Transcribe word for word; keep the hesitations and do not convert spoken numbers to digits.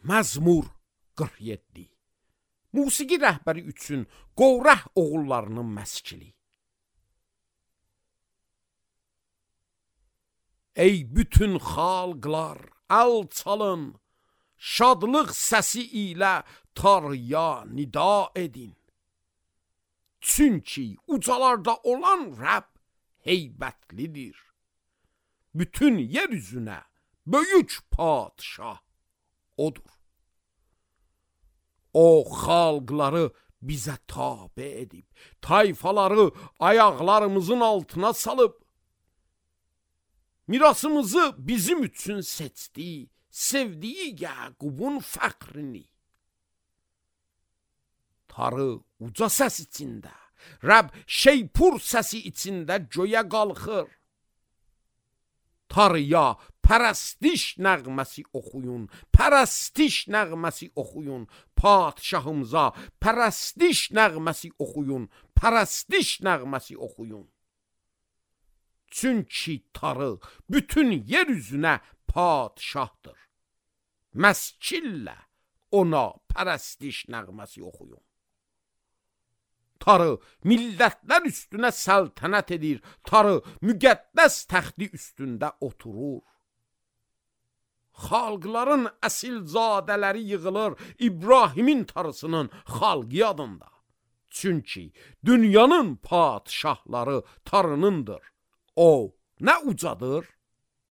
Məzmur qırx yeddi. Musiqi rəhbəri üçün Qorah oğullarının məskili. Ey bütün xalqlar, əl çalın, şadlıq səsi ilə Tanrıya nida edin. Çünki ucalarda olan Rəbb heybətlidir. Bütün yer üzünə böyük padşah odur. O xalqları bizə tabe edib, tayfaları ayaqlarımızın altına salıb, mirasımızı bizim üçün seçdi, sevdiyi Yaqubun fəxrini. Tarı uca səs içində, Rəbb şeypur səsi içində göyə qalxır. Tarıya pərəstiş nəğməsi oxuyun, pərəstiş nəğməsi oxuyun, padşahımıza pərəstiş nəğməsi oxuyun, pərəstiş nəğməsi oxuyun. Çünki Tarı bütün yer üzünə padşahdır. Məskillə ona pərəstiş nəğməsi oxuyun. Tarı millətlər üstünə səltənət edir, Tarı müqəddəs təxti üstündə oturur. Xalqların əsilzadələri yığılır İbrahimin tarısının xalqı adında. Çünki dünyanın padşahları Tarınındır. O nə ucadır,